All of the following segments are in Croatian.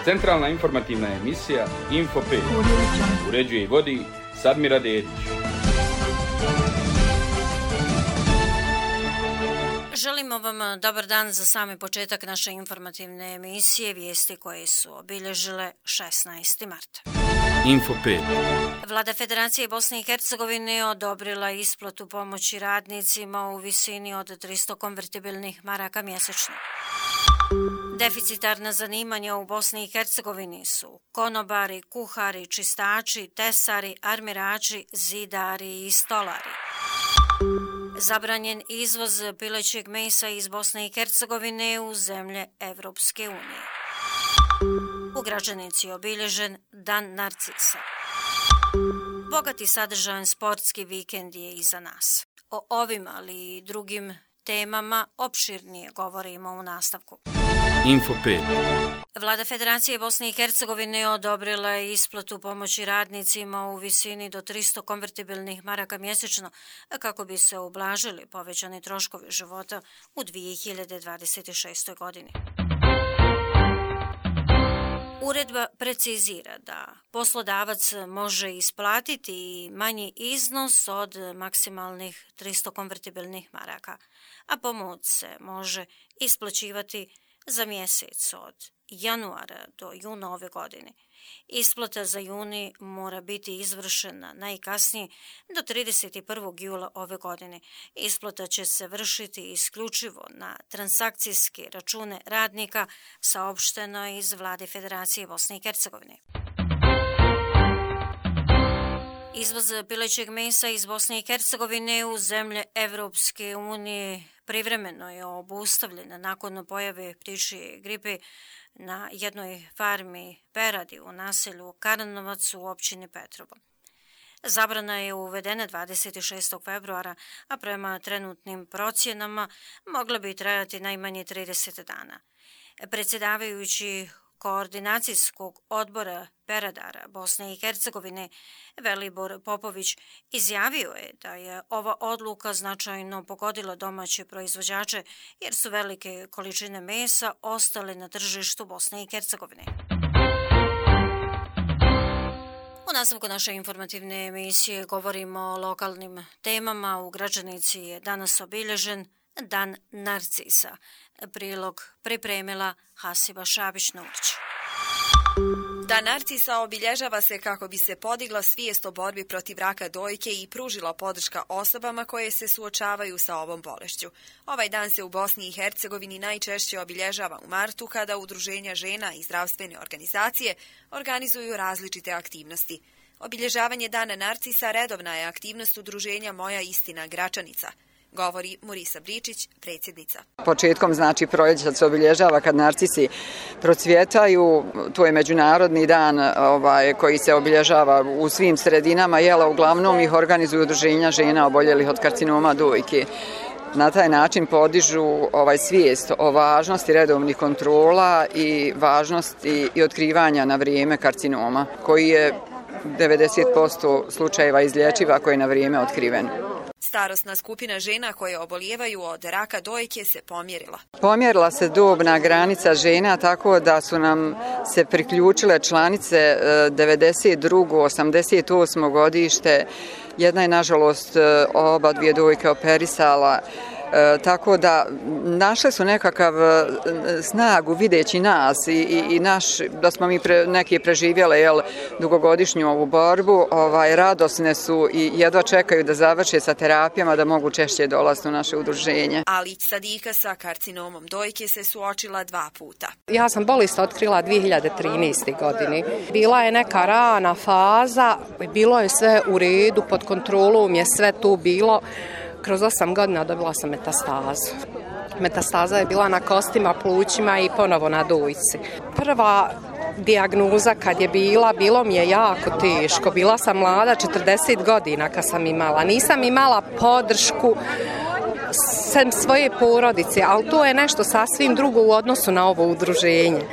Centralna informativna emisija Info 5. Uređuje i vodi Sadmira Dedić. Želimo vam dobar dan za sami početak naše informativne emisije, vijesti koje su obilježile 16. marta. Info 5. Vlada Federacije Bosne i Hercegovine odobrila isplatu pomoći radnicima u visini od 300 konvertibilnih maraka mjesečno. Deficitarna zanimanja u Bosni i Hercegovini su konobari, kuhari, čistači, tesari, armirači, zidari i stolari. Zabranjen izvoz pilećeg mesa iz Bosne i Hercegovine u zemlje Evropske unije. U Gračanici je obilježen Dan Narcisa. Bogati sadržajan sportski vikend je iza nas. O ovim, ali i drugim temama opširnije govorimo u nastavku. Info 5. Vlada Federacije Bosne i Hercegovine odobrila je isplatu pomoći radnicima u visini do 300 konvertibilnih maraka mjesečno kako bi se ublažili povećani troškovi života u 2026. godini. Uredba precizira da poslodavac može isplatiti i manji iznos od maksimalnih 300 konvertibilnih maraka, a pomoć se može isplaćivati za mjesec od januara do juna ove godine. Isplata za juni mora biti izvršena najkasnije do 31. jula ove godine. Isplata će se vršiti isključivo na transakcijske račune radnika, saopšteno iz Vlade Federacije Bosne i Hercegovine. Izvoz pilećeg mesa iz Bosne i Hercegovine u zemlje Evropske unije privremeno je obustavljen nakon pojave ptičje gripe na jednoj farmi peradi u naselju Karanovac u općini Petrovo. Zabrana je uvedena 26. februara, a prema trenutnim procjenama mogla bi trajati najmanje 30 dana. Predsjedavajući Koordinacijskog odbora peradara Bosne i Hercegovine Velibor Popović izjavio je da je ova odluka značajno pogodila domaće proizvođače jer su velike količine mesa ostale na tržištu Bosne i Hercegovine. U nastavku naše informativne emisije govorimo o lokalnim temama. U Gračanici je danas obilježen Dan Narcisa. Prilog pripremila Hasiba Šabić-Nurić. Dan Narcisa obilježava se kako bi se podigla svijest o borbi protiv raka dojke i pružila podrška osobama koje se suočavaju sa ovom bolešću. Ovaj dan se u Bosni i Hercegovini najčešće obilježava u martu kada udruženja žena i zdravstvene organizacije organizuju različite aktivnosti. Obilježavanje Dana Narcisa redovna je aktivnost udruženja Moja istina Gračanica, govori Murisa Bričić, predsjednica. Početkom proljeća se obilježava kad narcisi procvjetaju. To je međunarodni dan koji se obilježava u svim sredinama. Uglavnom ih organizuju udruženja žena oboljelih od karcinoma dojke. Na taj način podižu svijest o važnosti redovnih kontrola i važnosti i otkrivanja na vrijeme karcinoma, koji je 90% slučajeva izlječiv ako je na vrijeme otkriven. Starosna skupina žena koje obolijevaju od raka dojke se pomjerila. Pomjerila se dobna granica žena tako da su nam se priključile članice 92. 88. godište. Jedna je nažalost oba dvije dojke operisala. Tako da našle su nekakav snagu videći nas i da smo mi neki preživjele dugogodišnju ovu borbu, radosne su i jedva čekaju da završe sa terapijama da mogu češće dolaziti u naše udruženje. Alić Sadika sa karcinomom dojke se suočila 2 puta. Ja sam bolest otkrila 2013. godini. Bila je neka rana faza, bilo je sve u redu, pod kontrolom je sve tu bilo. Kroz 8 godina dobila sam metastazu. Metastaza je bila na kostima, plućima i ponovo na dojci. Prva dijagnoza kad je bilo mi je jako teško. Bila sam mlada, 40 godina kad sam imala. Nisam imala podršku sem svoje porodice, ali to je nešto sasvim drugo u odnosu na ovo udruženje.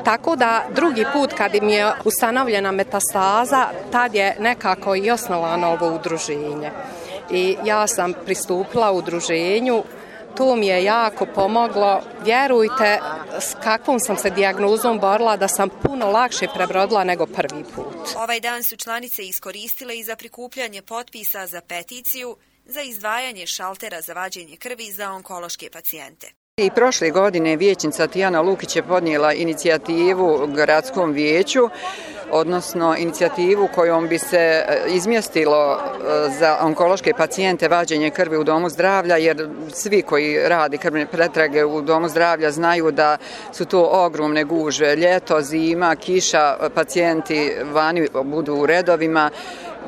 Tako da drugi put kad mi je ustanovljena metastaza, tad je nekako i osnovano ovo udruženje. I ja sam pristupila udruženju To mi je jako pomoglo. Vjerujte, s kakvom sam se dijagnozom borila da sam puno lakše prebrodila nego prvi put. Ovaj dan su članice iskoristile i za prikupljanje potpisa za peticiju za izdvajanje šaltera za vađenje krvi za onkološke pacijente. I prošle godine vijećnica Tijana Lukić je podnijela inicijativu gradskom vijeću, odnosno inicijativu kojom bi se izmjestilo za onkološke pacijente vađenje krvi u domu zdravlja, jer svi koji radi krvne pretrage u domu zdravlja znaju da su to ogromne gužve. Ljeto, zima, kiša, pacijenti vani budu u redovima.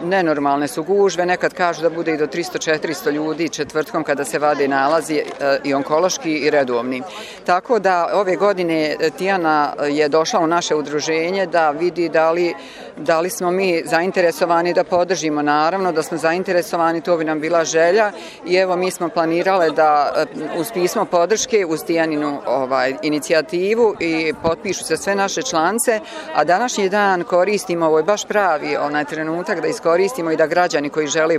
Nenormalne su gužve, nekad kažu da bude i do 300-400 ljudi četvrtkom kada se vade nalazi i onkološki i redovni. Tako da ove godine Tijana je došla u naše udruženje da vidi da li smo mi zainteresovani da podržimo. Naravno da smo zainteresovani, to bi nam bila želja i evo mi smo planirale da uz pismo podrške, uz Tijaninu inicijativu i potpišu se sve naše članice, a današnji dan koristimo, ovo je baš pravi trenutak da iskoristimo i da građani koji žele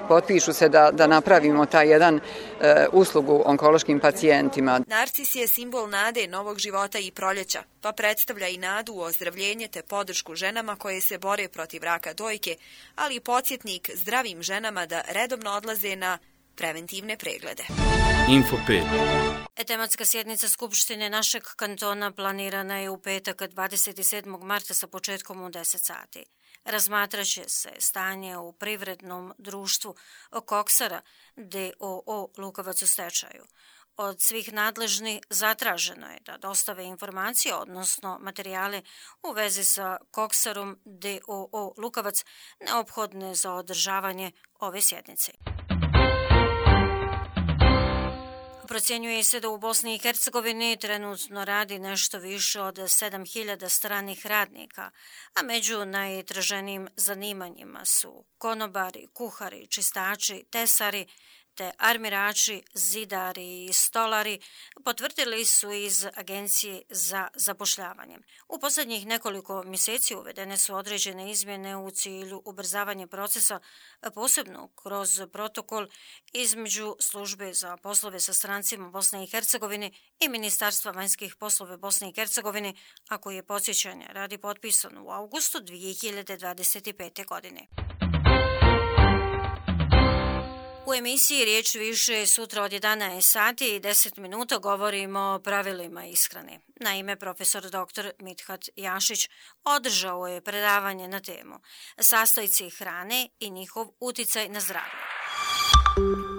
potpišu se da napravimo taj jedan uslugu onkološkim pacijentima. Narcis je simbol nade, novog života i proljeća, pa predstavlja i nadu u ozdravljenje te podršku ženama koje se bore protiv raka dojke, ali i podsjetnik zdravim ženama da redovno odlaze na preventivne preglede. Info 5. Tematska sjednica Skupštine našeg kantona planirana je u petak 27. marta sa početkom u 10 sati. Razmatraće se stanje u privrednom društvu Koksara d.o.o. Lukovac u stečaju. Od svih nadležnih zatraženo je da dostave informacije, odnosno materijale u vezi sa Koksarom d.o.o. Lukovac neophodne za održavanje ove sjednice. Procjenjuje se da u Bosni i Hercegovini trenutno radi nešto više od 7.000 stranih radnika, a među najtraženijim zanimanjima su konobari, kuhari, čistači, tesari, te armirači, zidari i stolari, potvrdili su iz Agencije za zapošljavanje. U posljednjih nekoliko mjeseci uvedene su određene izmjene u cilju ubrzavanja procesa, posebno kroz protokol između Službe za poslove sa strancima Bosne i Hercegovine i Ministarstva vanjskih poslova Bosne i Hercegovine, a koji je podsjećanje radi potpisan u augustu 2025. godine. U emisiji Riječ više sutra od 11 sati i 10 minuta govorimo o pravilima ishrane. Naime, profesor dr. Mithat Jašić održao je predavanje na temu sastojci hrane i njihov uticaj na zdravlje.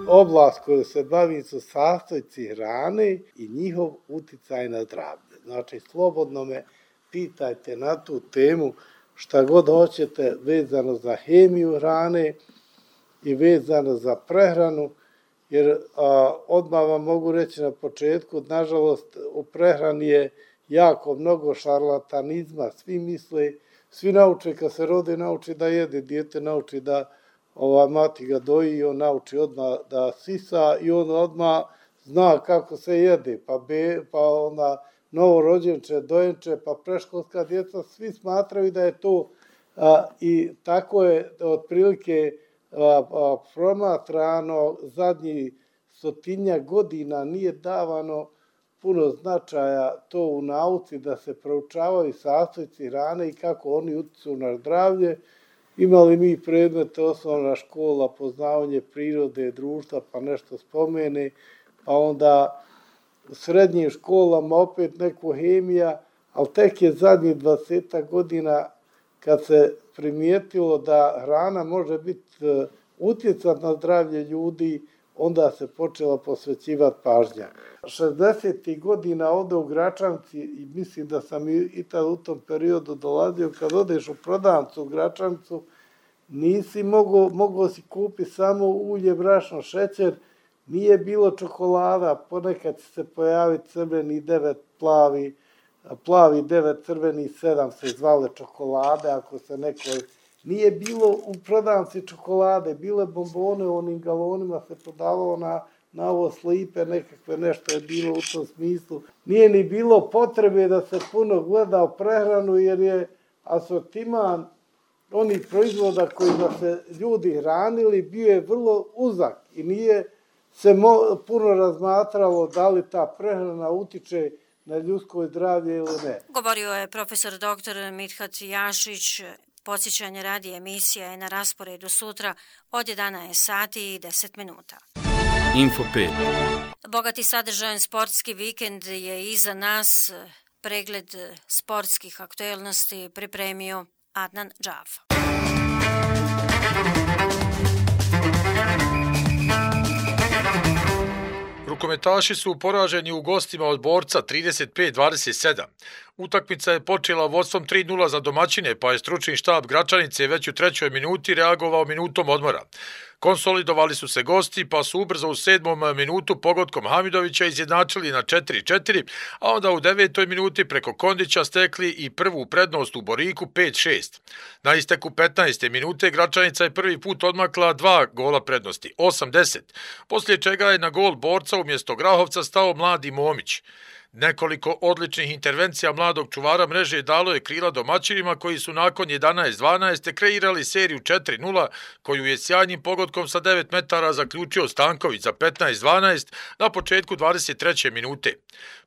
Oblast koju se bavim su sastojci hrane i njihov uticaj na zdravlje. Znači, slobodno me pitajte na tu temu šta god hoćete vezano za hemiju hrane i vezano za prehranu, jer odmah vam mogu reći na početku, nažalost u prehrani je jako mnogo šarlatanizma, svi misle, svi nauče kad se rode, nauči da jede, dijete nauči da mati ga doji, on nauči odmah da sisa i on odmah zna kako se jede, pa onda novorođenče, dojenče, pa preškolska djeca, svi smatraju da je to i tako je otprilike promatrano zadnjih 100 godina, nije davano puno značaja to u nauci da se proučavaju sastojci hrane i kako oni utiču na zdravlje. Imali mi predmete osnovna škola, poznavanje prirode, društva, pa nešto spomene, pa onda u srednjim školama opet neko hemija, ali tek je zadnjih 20 godina kad se primijetilo da hrana može biti utjecat na zdravlje ljudi, onda se počela posvećivati pažnja. 60. godina ovdje u Gračanci, i mislim da sam i tad u tom periodu dolazio, kad odeš u prodavnicu u Gračancu, nisi mogao si kupiti samo ulje, brašno, šećer, nije bilo čokolada, ponekad će se pojaviti crveni 9 plavi 9 crveni 7 se zvale čokolade, ako se neko... Nije bilo u prodavnici čokolade, bile bombone u onim galonima, se prodavalo na ovo slipe, nekakve nešto je bilo u tom smislu. Nije ni bilo potrebe da se puno gleda u prehranu, jer je asortiman onih proizvoda kojima se ljudi hranili bio je vrlo uzak i nije se puno razmatralo da li ta prehrana utiče na ljudsko zdravlje ili ne. Govorio je profesor dr. Mithat Jašić. Podsjećanje radi emisija je na rasporedu sutra od 11 sati i 10 minuta. Info 5. Bogati sadržajan sportski vikend je iza nas. Pregled sportskih aktuelnosti pripremio Adnan Džafa. Rukometaši su poraženi u gostima od Borca 35-27. Utakmica je počela vodstvom 3-0 za domaćine, pa je stručni štab Gračanice već u 3. minuti reagovao minutom odmora. Konsolidovali su se gosti, pa su ubrzo u 7. minutu pogodkom Hamidovića izjednačili na 4-4, a onda u 9. minuti preko Kondića stekli i prvu prednost u Boriku 5-6. Na isteku 15. minute Gračanica je prvi put odmakla 2 gola prednosti, 8-10, poslije čega je na gol Borca umjesto Grahovca stao mladi Momić. Nekoliko odličnih intervencija mladog čuvara mreže dalo je krila domaćinima koji su nakon 11-12 kreirali seriju 4-0 koju je sjajnim pogodkom sa 9 metara zaključio Stanković za 15-12 na početku 23. minute.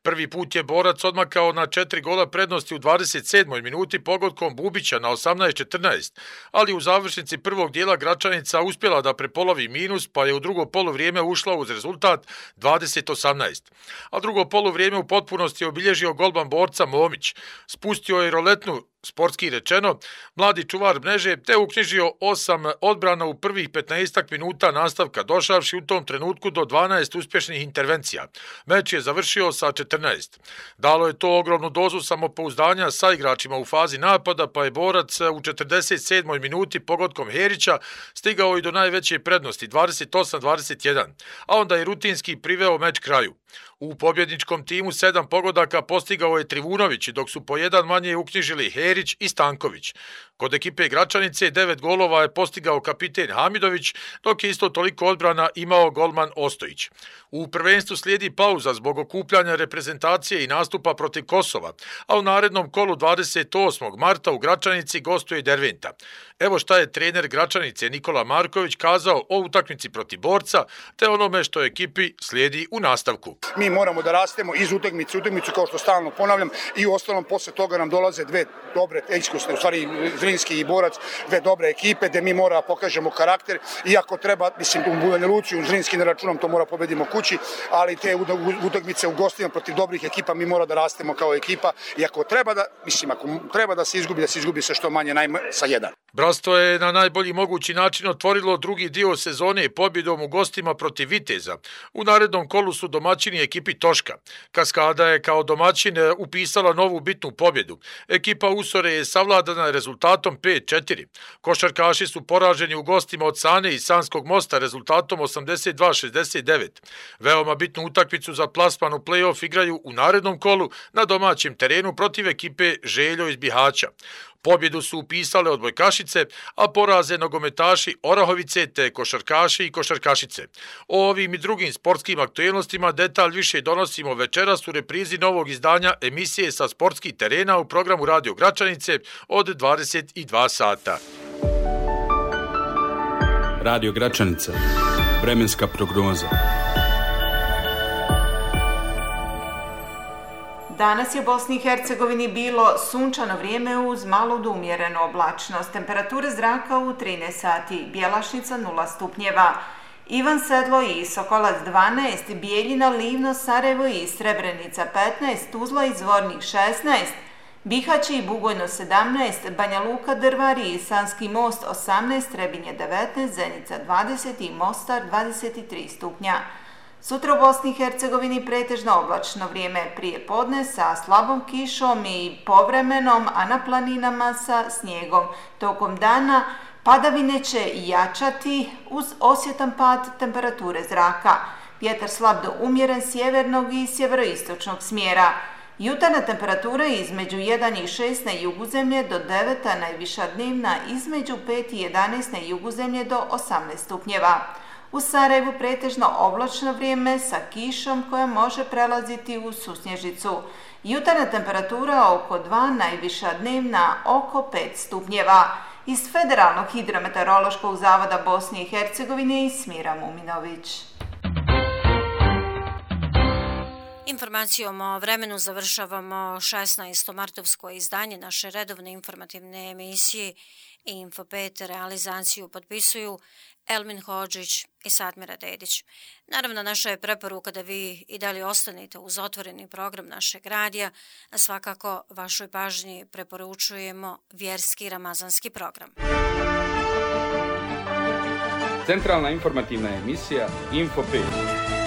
Prvi put je Borac odmakao na 4 gola prednosti u 27. minuti pogodkom Bubića na 18-14, ali u završnici prvog dijela Gračanica uspjela da prepolovi minus, pa je u drugo poluvrijeme ušla uz rezultat 20-18. A drugo poluvrijeme u potpunosti je obilježio golman Borca Momić. Spustio je roletnu, sportski rečeno, mladi čuvar mreže, te uknjižio 8 odbrana u prvih 15 minuta nastavka, došavši u tom trenutku do 12 uspješnih intervencija. Meč je završio sa 14. Dalo je to ogromnu dozu samopouzdanja sa igračima u fazi napada, pa je Borac u 47. minuti pogodkom Herića stigao i do najveće prednosti, 28-21, a onda je rutinski priveo meč kraju. U pobjedničkom timu 7 pogodaka postigao je Trivunović, dok su po jedan manje uknjižili Herić i Stanković. Kod ekipe Gračanice 9 golova je postigao kapiten Hamidović, dok je isto toliko odbrana imao golman Ostojić. U prvenstvu slijedi pauza zbog okupljanja reprezentacije i nastupa protiv Kosova, a u narednom kolu 28. marta u Gračanici gostuje Derventa. Evo šta je trener Gračanice Nikola Marković kazao o utakmici protiv Borca, te onome što ekipi slijedi u nastavku. Mi moramo da rastemo iz utakmice u utakmicu, kao što stalno ponavljam, i u ostalom posle toga nam dolaze dve dobre, iskusne, u stvari Zrinski i Borac, dve dobre ekipe, gde mi mora pokažemo karakter, i ako treba, mislim, u Banja Luci, u Zrinski ne računam, to mora pobedimo kući, ali te utakmice u gostima protiv dobrih ekipa mi mora da rastemo kao ekipa, i ako treba da se izgubi se što manje, sa 1. Bratstvo je na najbolji mogući način otvorilo drugi dio sezone pobjedom u gostima protiv Viteza. U narednom kolu su domaćini ekipi Toška. Kaskada je kao domaćin upisala novu bitnu pobjedu. Ekipa Usore je savladana rezultatom 5-4. Košarkaši su poraženi u gostima od Sane i Sanskog mosta rezultatom 82-69. Veoma bitnu utakmicu za plasman u play-off igraju u narednom kolu na domaćem terenu protiv ekipe Željo iz Bihaća. Pobjedu su upisale odbojkašice, a poraze nogometaši Orahovice te košarkaši i košarkašice. O ovim i drugim sportskim aktuelnostima detalj više donosimo večeras u reprizi novog izdanja emisije sa sportskih terena u programu Radio Gračanice od 22 sata. Radio Gračanica. Vremenska prognoza. Danas je u Bosni i Hercegovini bilo sunčano vrijeme uz malu do umjerenu oblačnost. Temperature zraka u 13 sati, Bjelašnica 0 stupnjeva, Ivan Sedlo i Sokolac 12, Bijeljina, Livno, Sarajevo i Srebrenica 15, Tuzla i Zvornik 16, Bihać i Bugojno 17, Banja Luka, Drvari i Sanski most 18, Trebinje 19, Zenica 20 i Mostar 23 stupnja. Sutra u Bosni i Hercegovini pretežno oblačno vrijeme prije podne sa slabom kišom i povremenom, a na planinama sa snijegom. Tokom dana padavine će jačati uz osjetan pad temperature zraka. Vjetar slab do umjeren sjevernog i sjeveroistočnog smjera. Jutarnja temperatura između 1 i 6 na jugu zemlje do 9, a najviša dnevna između 5 i 11 na jugu zemlje do 18 stupnjeva. U Sarajevu pretežno oblačno vrijeme sa kišom koja može prelaziti u susnježicu. Jutarnja temperatura oko 2, najviša dnevna oko 5 stupnjeva. Iz Federalnog hidrometeorološkog zavoda Bosne i Hercegovine Smira Muminović. Informacijom o vremenu završavamo 16. martovsko izdanje naše redovne informativne emisije Info 5. Realizaciju potpisuju Elmin Hodžić i Sadmira Dedić. Naravno, naša je preporuka da vi i dalje ostanete uz otvoreni program našeg radija, a svakako vašoj pažnji preporučujemo vjerski ramazanski program. Centralna informativna emisija Info 5.